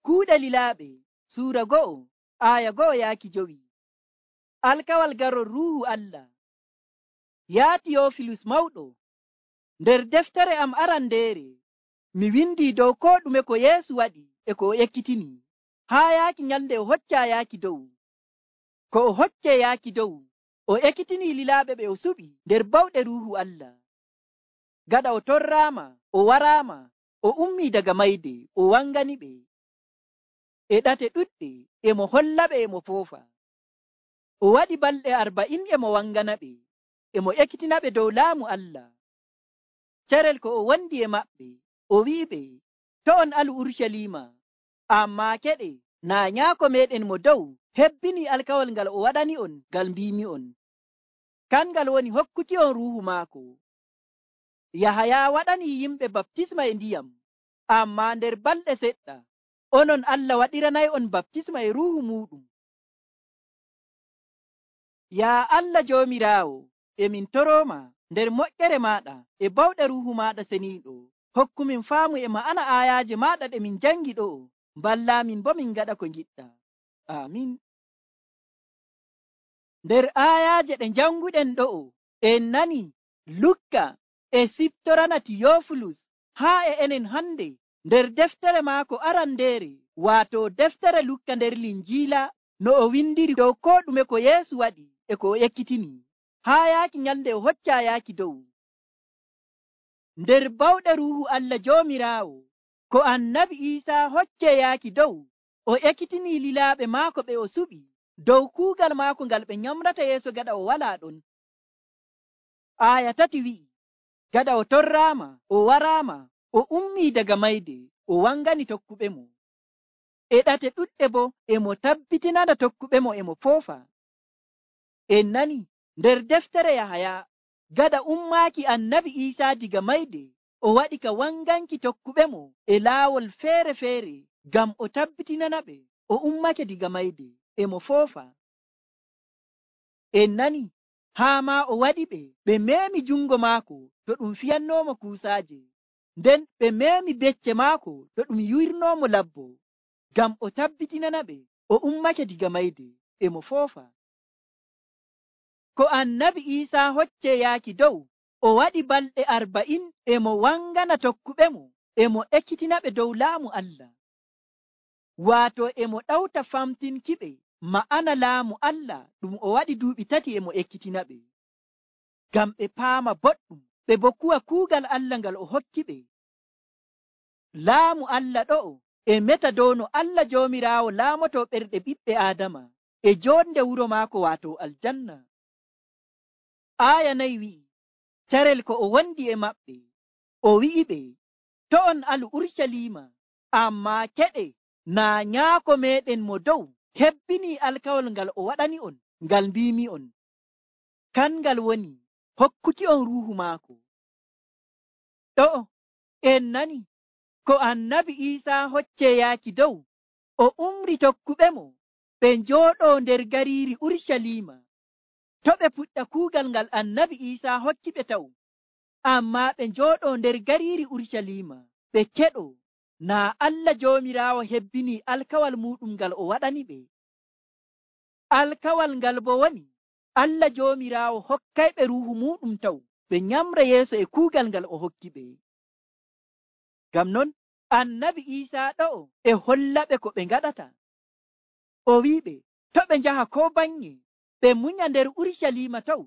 Kuuɗe Lilaaɓe Suura 1 aya 1-5. Alkawal garol Ruuhu Allah. Yaa Tiyofilus mawɗo, nder deftere am arandeere mi windi dow koo ɗume ko Yeesu waɗi e ko o ekkitini haa yaaki nyalnde o hoccaa yaaki dow. Ko o hoccee yaaki dow, o ekkitini lilaaɓe ɓe o suɓi nder bawɗe Ruuhu Allah. Gaɗa o torraama, o waraama, o ummii daga mayde, o wanganiɓe. E ɗate ɗuɗɗe e mo hollaɓe e mo foofa. O waɗi balɗe 40 e mo wanganaɓe, e mo ekkitinaɓe dow laamu Allah. Carel ko o wondi e maɓɓe, o wi'iɓe, to on alu Urucaliima, ammaa keɗe naa nyaako meɗen mo dow hebbini alkawal ngal o waɗani on ngal mbimi on. Kangal woni hokkuki on Ruuhu maako. Yahaya waɗani yimɓe baptisma e ndiyam, ammaa nder balɗe seɗɗa onon Allah waɗiranay on baptisma e Ruuhu muɗum. Yaa Allah Joomiraawo, emin torooma nder moƴƴere maaɗa e bawɗe Ruuhu maaɗa seniiɗo, hokkumin faamu e ma'ana aayaaje maaɗa ɗe min jangi ɗo'o, mballaamin bo min ngaɗa ko ngiɗɗa. Amin. Nder aayaaje ɗe janguɗen ɗo'o, en nani Lukka e siftorana Tiyofilus haa e enen hande nder deftere maako arandeere, waato deftere Lukka nder Linjiila, no o windiri dow koo ɗume ko Yeesu waɗi e ko o ekkitini haa yaaki nyalnde o hoccaa yaaki dow. Nder bawɗe Ruuhu Allah Joomiraawo, ko Annabi Iisaa hoccee yaaki dow, o ekkitini lilaaɓe maako ɓe o suɓi dow kuugal maako ngal ɓe nyamrata yeeso gaɗa o walaa ɗon. Aya 3 wi'i, gaɗa o torraama, o waraama, o ummii daga mayde, o wangani tokkuɓe mo. E ɗate ɗuɗɗe bo e mo tabbitinana tokkuɓe mo e mo foofa. En nani nder deftere Yahaya, gaɗa ummaaki Annabi Iisaa diga mayde, o waɗi ka wanganki tokkuɓe mo e laawol feere-feere ngam o tabbitinana ɓe o ummake diga mayde e mo foofa. En nani haa maa o waɗi ɓe meemi jungo maako to ɗum fiyannoomo kuusaaje, nden ɓe meemi becce maako to ɗum yurnomo labbo, ngam o tabbitinana ɓe o ummake diga mayde e mo foofa. Ko Annabi Iisaa hoccee yaaki dow, o waɗi balɗe 40 e mo wangana tokkuɓe mo e mo ekkitinaɓe dow laamu Allah. Waato e mo ɗawta famtinkiɓe ma'ana laamu Allah ɗum o waɗi duuɓi 3 e mo ekkitinaɓe, ngam ɓe paama boɗɗum ɓe bo kuwa kuugal Allah ngal o hokki ɓe. Laamu Allah ɗo'o e meta dow no Allah Joomiraawo laamoto ɓerɗe ɓiɓɓe Aadama e joonde wuro maako waato aljanna. Aya 4 wi'i, carel ko o wondi e maɓɓe, o wi'iɓe, to on alu Urucaliima, ammaa keɗe naa nyaako meɗen mo dow hebbini alkawal ngal o waɗani on ngal mbimi on. Kangal woni hokkuki on Ruuhu maako. Ɗo'o en nani ko Annabi Iisaa hoccee yaaki dow, o umri tokkuɓe mo ɓe njooɗoo nder gariiri Urucaliima, to ɓe puɗɗa kuugal ngal Annabi Iisaa hokki ɓe taw, ammaa ɓe njooɗoo nder gariiri Urucaliima ɓe keɗoo naa Allah Joomiraawo hebbini alkawal muɗum ngal o waɗani ɓe. Alkawal ngal bo woni Allah Joomiraawo hokkayɓe Ruuhu muɗum taw ɓe nyamra yeeso e kuugal ngal o hokki ɓe. Ngam non Annabi Iisaa ɗo'o e hollaɓe ko ɓe ngaɗata. O wi'iɓe to ɓe njaha koo baŋnge ɓe munya nder Urucaliima taw,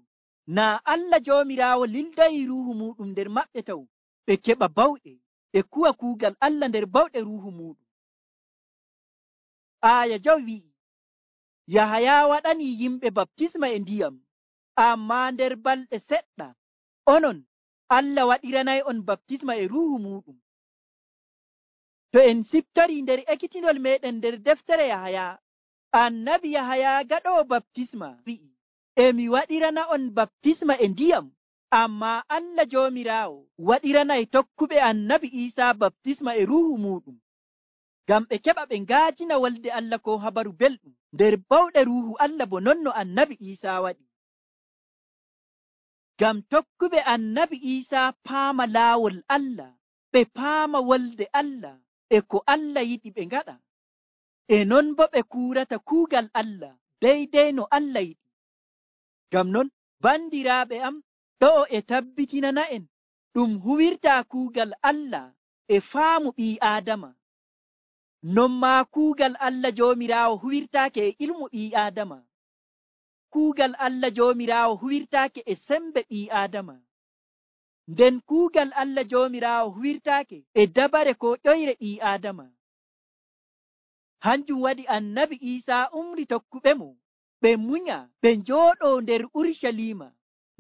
naa Allah Joomiraawo lildayi Ruuhu muɗum nder maɓɓe taw, ɓe keɓa bawɗe ɓe kuwa kuugal Allah nder bawɗe Ruuhu muɗum. Aya 5 wi'i, Yahaya waɗani yimɓe baptisma e ndiyam, ammaa nder balɗe seɗɗa onon Allah waɗiranay on baptisma e Ruuhu muɗum. To en siftori nder ekkitinol meɗen nder deftere Yahaya, Annabi Yahaya gaɗoowo baptisma wi'i, emi waɗirana on baptisma e ndiyam, ammaa Allah Joomiraawo waɗiranay tokkuɓe Annabi Iisaa baptisma e Ruuhu muɗum, ngam ɓe keɓa ɓe ngaajina wolde Allah ko habaru belɗum nder bawɗe Ruuhu Allah bo non no Annabi Iisaa waɗi. Ngam tokkuɓe Annabi Iisaa paama laawol Allah, ɓe paama wolde Allah e ko Allah yiɗi ɓe ngaɗa. e non bo ɓe kuurata kuugal Allah deydey no Allah yiɗi. Ngam non bandiraaɓe am, ɗo'o e tabbitinana en ɗum huwirtaa kuugal Allah e faamu ɓii Aadama. Non maa kuugal Allah Joomiraawo huwirtaake e ilmu ɓii Aadama. Kuugal Allah Joomiraawo huwirtaake e sembe ɓii Aadama. Nden kuugal Allah Joomiraawo huwirtaake e dabare ko ƴoyre ɓii Aadama. Hanjum waɗi Annabi Iisaa umri tokkuɓe mo ɓe munya ɓe njooɗoo nder Urucaliima.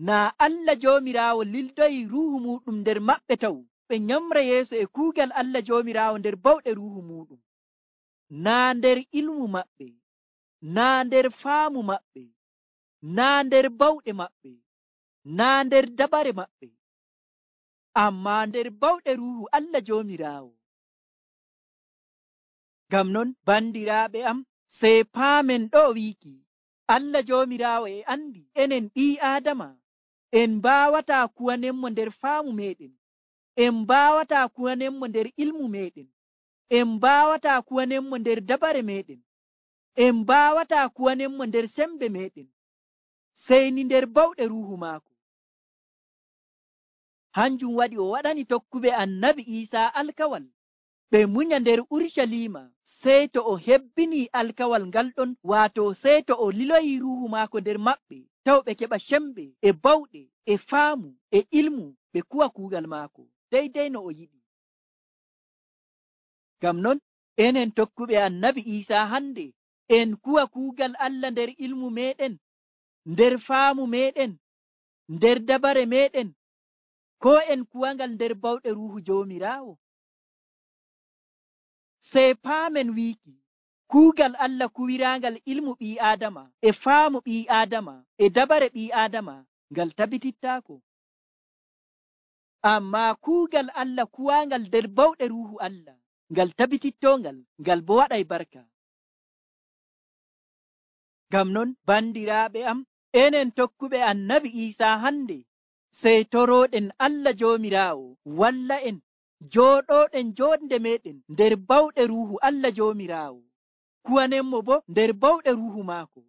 Naa Allah Joomiraawo lildoyi Ruuhu muuɗum nder maɓɓe taw ɓe nyamra yeeso e kuugal Allah Joomiraawo nder bawɗe Ruuhu muuɗum. Naa nder ilmu maɓɓe, naa nder faamu maɓɓe, naa nder bawɗe maɓɓe, naa nder dabare maɓɓe, ammaa nder bawɗe Ruuhu Allah Joomiraawo. Ngam non bandiraaɓe am, sey paamen ɗo wiiki Allah Joomiraawo e andi enen ɓii Aadama en mbaawataa kuwanenmo nder faamu meɗen, en mbaawataa kuwanenmo nder ilmu meɗen, en mbaawataa kuwanenmo nder dabare meɗen, en mbaawataa kuwanenmo nder sembe meɗen, sey ni nder bawɗe Ruuhu maako. Hanjum waɗi o waɗani tokkuɓe Annabi Iisaa alkawal ɓe munya nder Urucaliima sey to o hebbini alkawal ngal ɗon, waato sey to o liloyi Ruuhu maako nder maɓɓe, taw ɓe keɓa sembe e bawɗe e faamu e ilmu ɓe kuwa kuugal maako deydey no o yiɗi. Ngam non enen tokkuɓe Annabi Iisaa hande en kuwa kuugal Allah nder ilmu meɗen, nder faamu meɗen, nder dabare meɗen, ko en kuwangal nder bawɗe Ruuhu Joomiraawo. Sey paamen wiiki kuugal Allah kuwiraangal ilmu ɓii Aadama e faamu ɓii Aadama e dabare ɓii Aadama ngal tabitittaako. Ammaa kuugal Allah kuwaangal nder bawɗe Ruuhu Allah ngal tabitittongal, ngal bo waɗay barka. Ngam non bandiraaɓe am, enen tokkuɓe Annabi Iisaa hande sey torooɗen Allah Joomiraawo walla en jooɗooɗen joonde meɗen nder bawɗe Ruuhu Allah Joomiraawo, kuwanenmo bo nder bawɗe Ruuhu maako.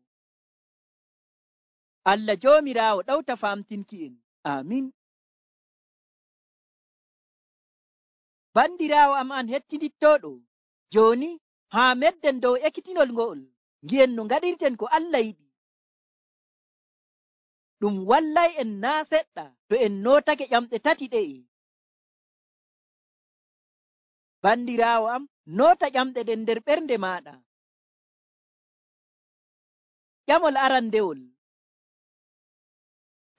Allah Joomiraawo ɗawta famtinki en. Amin. Bandiraawo am an hettidittooɗo, jooni haa medden dow ekkitinol ngo'ol, ngi'en no ngaɗirten ko Allah yiɗi. Ɗum wallay en naa seɗɗa to en nootake ƴamɗe tati ɗe'e. Bandiraawo am, noota ƴamɗe ɗen nder ɓernde maaɗa. Ƴamol arandewol,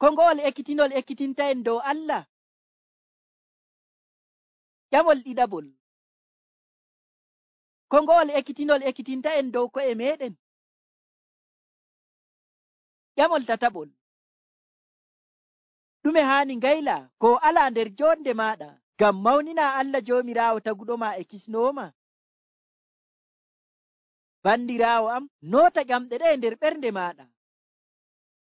ko ngo'ol ekkitinol ekkitinta en dow Allah? Ƴamol ɗiɗaɓol, ko ngo'ol ekkitinol ekkitinta en dow ko'e meɗen? Ƴamol tataɓol, ɗume haani ngayla ko alaa nder jonde maaɗa ngam mawnina Allah Joomiraawo taguɗoma e kisnooma? Bandiraawo am, noota ƴamɗe ɗe nder ɓernde maaɗa.